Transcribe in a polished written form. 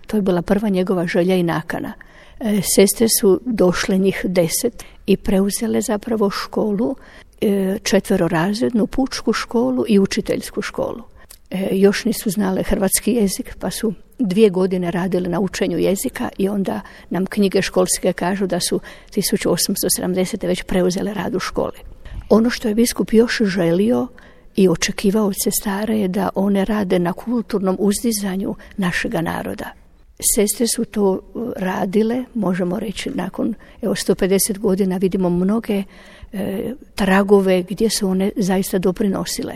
To je bila prva njegova želja i nakana. Sestre su došle njih 10 i preuzele zapravo školu, četverorazrednu pučku školu i učiteljsku školu. Još nisu znale hrvatski jezik, pa su 2 godine radile na učenju jezika i onda nam knjige školske kažu da su 1870. već preuzele rad u školi. Ono što je biskup još želio i očekivao od sestara je da one rade na kulturnom uzdizanju našega naroda. Sestre su to radile, možemo reći, nakon 150 godina vidimo mnoge tragove gdje su one zaista doprinosile.